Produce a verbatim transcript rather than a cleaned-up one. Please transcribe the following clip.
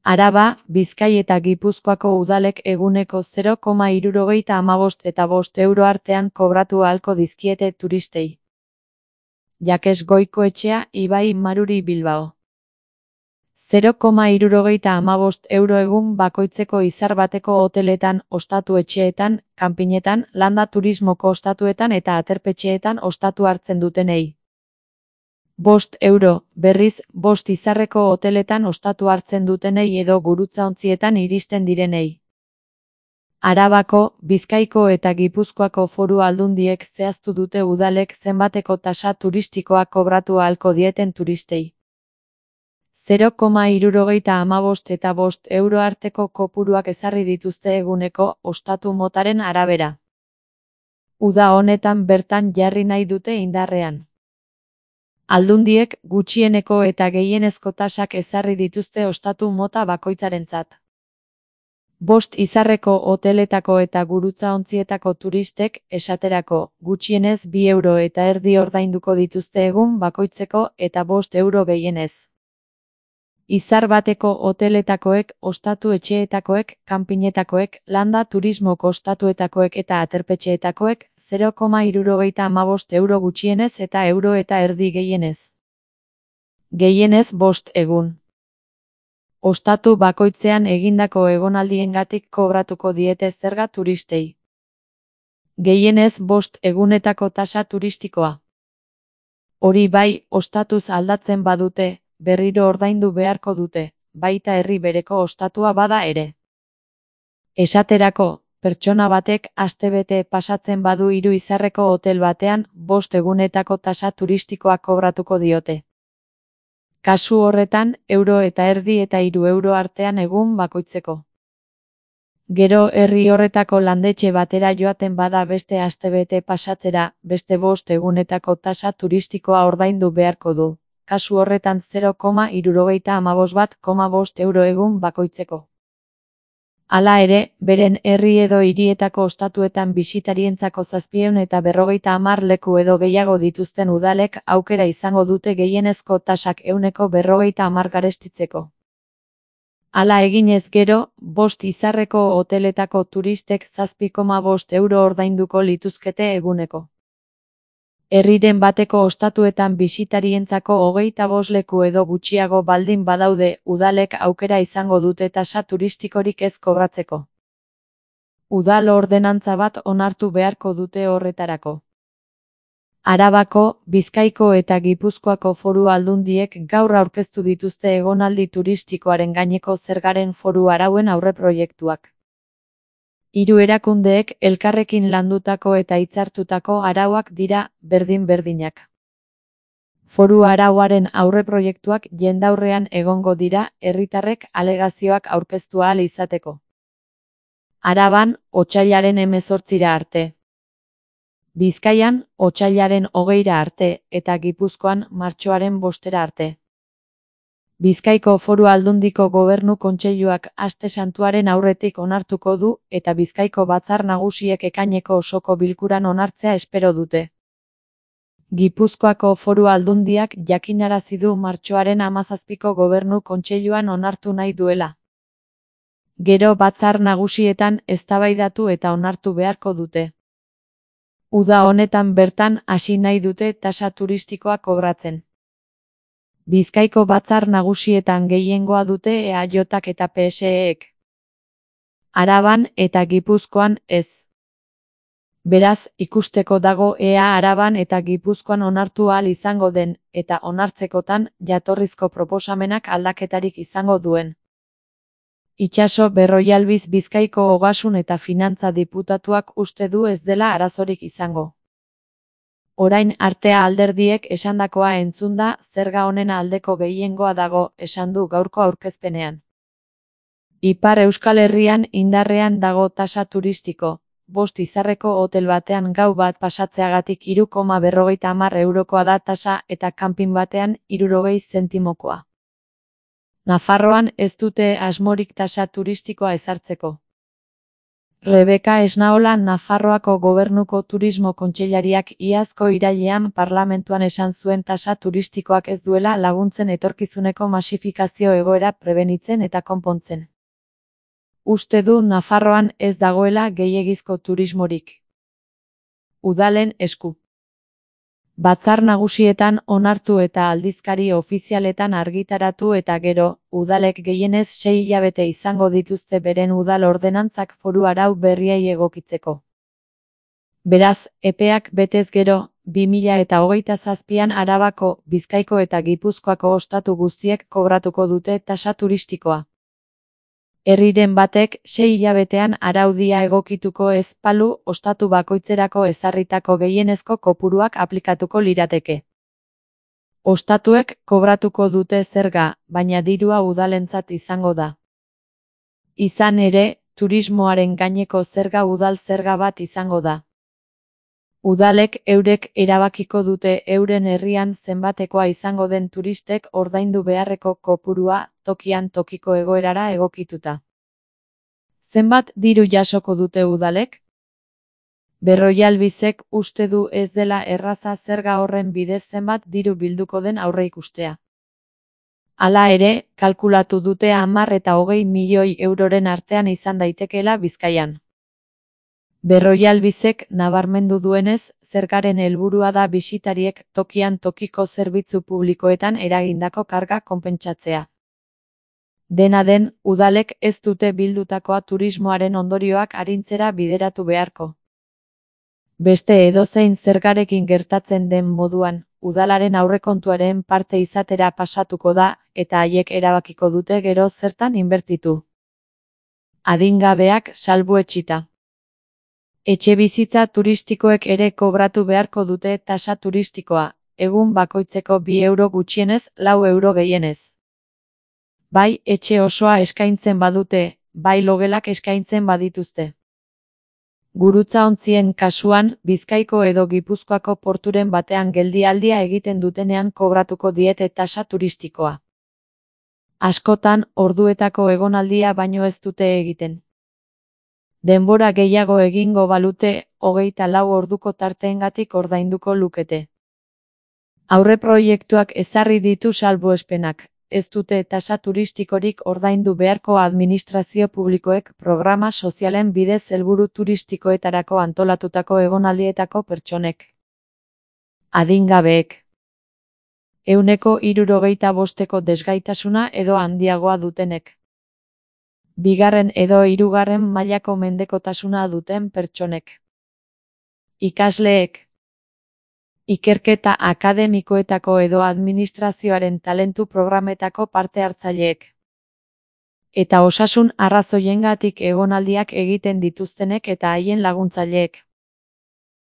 Araba, Bizkai eta Gipuzkoako udalek eguneko zero koma hirurogeita hamabost eta bost euro artean kobratu ahalko dizkiete turistei. Jakes Goikoetxea, Ibai Maruri Bilbao. zero koma hirurogeita hamabost euro egun bakoitzeko izar bateko hoteletan, ostatu etxeetan, kanpinetan, landa turismoko ostatuetan eta aterpetxeetan ostatu hartzen dutenei. Bost euro, berriz, bost izarreko hoteletan ostatu hartzen dutenei edo gurutzaontzietan iristen direnei. Arabako, Bizkaiko eta Gipuzkoako foru aldundiek zehaztu dute udalek zenbateko tasa turistikoa kobratu ahalko dieten turistei. zero koma hirurogeita hamabost eta bost euro arteko kopuruak ezarri dituzte eguneko ostatu motaren arabera. Uda honetan bertan jarri nahi dute indarrean. Aldundiek gutxieneko eta gehienezko tasak ezarri dituzte ostatu mota bakoitzarentzat. Bost izarreko hoteletako eta gurutzaontzietako turistek, esaterako, gutxienez bi euro eta erdi ordainduko dituzte egun bakoitzeko eta bost euro gehienez. Izar bateko hoteletakoek, ostatu etxeetakoek, kanpinetakoek, landa turismoko ostatuetakoek eta aterpetxeetakoek, zero koma hirurogeita hamabost euro gutxienez eta euro eta erdi gehienez. Gehienez bost egun. Ostatu bakoitzean egindako egonaldiengatik kobratuko diete zerga turistei. Gehienez bost egunetako tasa turistikoa. Hori bai, ostatuz aldatzen badute, berriro ordaindu beharko dute, baita herri bereko ostatua bada ere. Esaterako, pertsona batek astebete pasatzen badu hiru izarreko hotel batean, bost egunetako tasa turistikoa kobratuko diote. Kasu horretan, euro eta erdi eta hiru euro artean egun bakoitzeko. Gero herri horretako landetxe batera joaten bada beste astebete pasatzera, beste bost egunetako tasa turistikoa ordaindu beharko du. Kasu horretan zero koma hirurogeita hamabost bat koma bost euro egun bakoitzeko. Hala ere, beren herri edo hirietako ostatuetan bisitarientzako zazpiehun eta berrogeita hamar leku edo gehiago dituzten udalek aukera izango dute gehienezko tasak ehuneko berrogeita hamar garestitzeko. Hala eginez gero, bost izarreko hoteletako turistek zazpi koma bost euro ordainduko lituzkete eguneko. Herriren bateko ostatuetan bisitarientzako hogeita bost leku edo gutxiago baldin badaude, udalek aukera izango dute tasa turistikorik ez kobratzeko. Udal ordenantza bat onartu beharko dute horretarako. Arabako, Bizkaiko eta Gipuzkoako foru aldundiek gaur aurkeztu dituzte egonaldi turistikoaren gaineko zergaren foru arauen aurreproiektuak. Hiru erakundeek elkarrekin landutako eta hitzartutako arauak dira, berdin-berdinak. Foru arauaren aurreproiektuak jendaurrean egongo dira, herritarrek alegazioak aurkeztu ahal izateko. Araban, otsailaren hemezortzira arte. Bizkaian, otsailaren hogeira arte, eta Gipuzkoan, martxoaren bostera arte. Bizkaiko foru aldundiko gobernu kontseiluak aste santuaren aurretik onartuko du, eta Bizkaiko batzar nagusiek ekaineko osoko bilkuran onartzea espero dute. Gipuzkoako foru aldundiak jakinarazi du martxoaren hamazazpiko gobernu kontseiluan onartu nahi duela. Gero batzar nagusietan eztabaidatu eta onartu beharko dute. Uda honetan bertan hasi nahi dute tasa turistikoa kobratzen. Bizkaiko batzar nagusietan gehiengoa dute E A Jak eta P S E-ek. Araban eta Gipuzkoan ez. Beraz, ikusteko dago ea Araban eta Gipuzkoan onartu ahal izango den, eta onartzekotan, jatorrizko proposamenak aldaketarik izango duen. Itxaso Berroialbiz Bizkaiko Ogasun eta Finantza diputatuak uste du ez dela arazorik izango. Orain artea alderdiek esandakoa entzunda, zerga honen aldeko gehiengoa dago, esan du gaurko aurkezpenean. Ipar Euskal Herrian indarrean dago tasa turistiko, bost izarreko hotel batean gau bat pasatzeagatik hiru koma berrogeita hamar eurokoa da tasa eta kanpin batean hirurogei zentimokoa. Nafarroan ez dute asmorik tasa turistikoa ezartzeko. Rebeka Esnaola Nafarroako Gobernuko Turismo Kontseilariak iazko irailean parlamentuan esan zuen tasa turistikoak ez duela laguntzen etorkizuneko masifikazio egoera prebenitzen eta konpontzen. Uste du Nafarroan ez dagoela gehiegizko turismorik. Udalen esku. Batzar nagusietan onartu eta aldizkari ofizialetan argitaratu eta gero, udalek gehienez sei hilabete izango dituzte beren udal ordenantzak foru arau berriei egokitzeko. Beraz, epeak betez gero, bi mila eta hogeita zazpian Arabako, Bizkaiko eta Gipuzkoako ostatu guztiek kobratuko dute tasa turistikoa. Herriren batek sei hilabetean araudia egokituko ez balu ostatu bakoitzerako ezarritako gehienezko kopuruak aplikatuko lirateke. Ostatuek kobratuko dute zerga, baina dirua udalentzat izango da. Izan ere, turismoaren gaineko zerga udal zerga bat izango da. Udalek eurek erabakiko dute euren herrian zenbatekoa izango den turistek ordaindu beharreko kopurua tokian tokiko egoerara egokituta. Zenbat diru jasoko dute udalek? Berrojalbizek uste du ez dela erraza zerga horren bidez zenbat diru bilduko den aurreikustea. Hala ere, kalkulatu dute hamar eta hogei milioi euroren artean izan daitekeela Bizkaian. Berrojalbizek nabarmendu duenez, zergaren helburua da bisitariek tokian tokiko zerbitzu publikoetan eragindako karga konpentsatzea. Dena den, udalek ez dute bildutakoa turismoaren ondorioak arintzera bideratu beharko. Beste edozein zergarekin gertatzen den moduan, udalaren aurrekontuaren parte izatera pasatuko da, eta haiek erabakiko dute gero zertan inbertitu. Adingabeak salbuetsita. Etxebizitza turistikoek ere kobratu beharko dute tasa turistikoa, egun bakoitzeko bi euro gutxienez, lau euro gehienez. Bai etxe osoa eskaintzen badute, bai logelak eskaintzen badituzte. Gurutzaontzien kasuan, Bizkaiko edo Gipuzkoako porturen batean geldialdia egiten dutenean kobratuko diete tasa turistikoa. Askotan, orduetako egonaldia baino ez dute egiten. Denbora gehiago egingo balute, hogeita lau orduko tarteengatik ordainduko lukete. Aurreproiektuak ezarri ditu salbuespenak, ez dute tasa turistikorik ordaindu beharko administrazio publikoek programa sozialen bidez helburu turistikoetarako antolatutako egonaldietako pertsonek. Adingabeek. Ehuneko hirurogeita bosteko desgaitasuna edo handiagoa dutenek. Bigarren edo hirugarren mailako mendekotasuna duten pertsonek. Ikasleek. Ikerketa akademikoetako edo administrazioaren talentu programetako parte hartzaileek. Eta osasun arrazoiengatik egonaldiak egiten dituztenek eta haien laguntzaileek.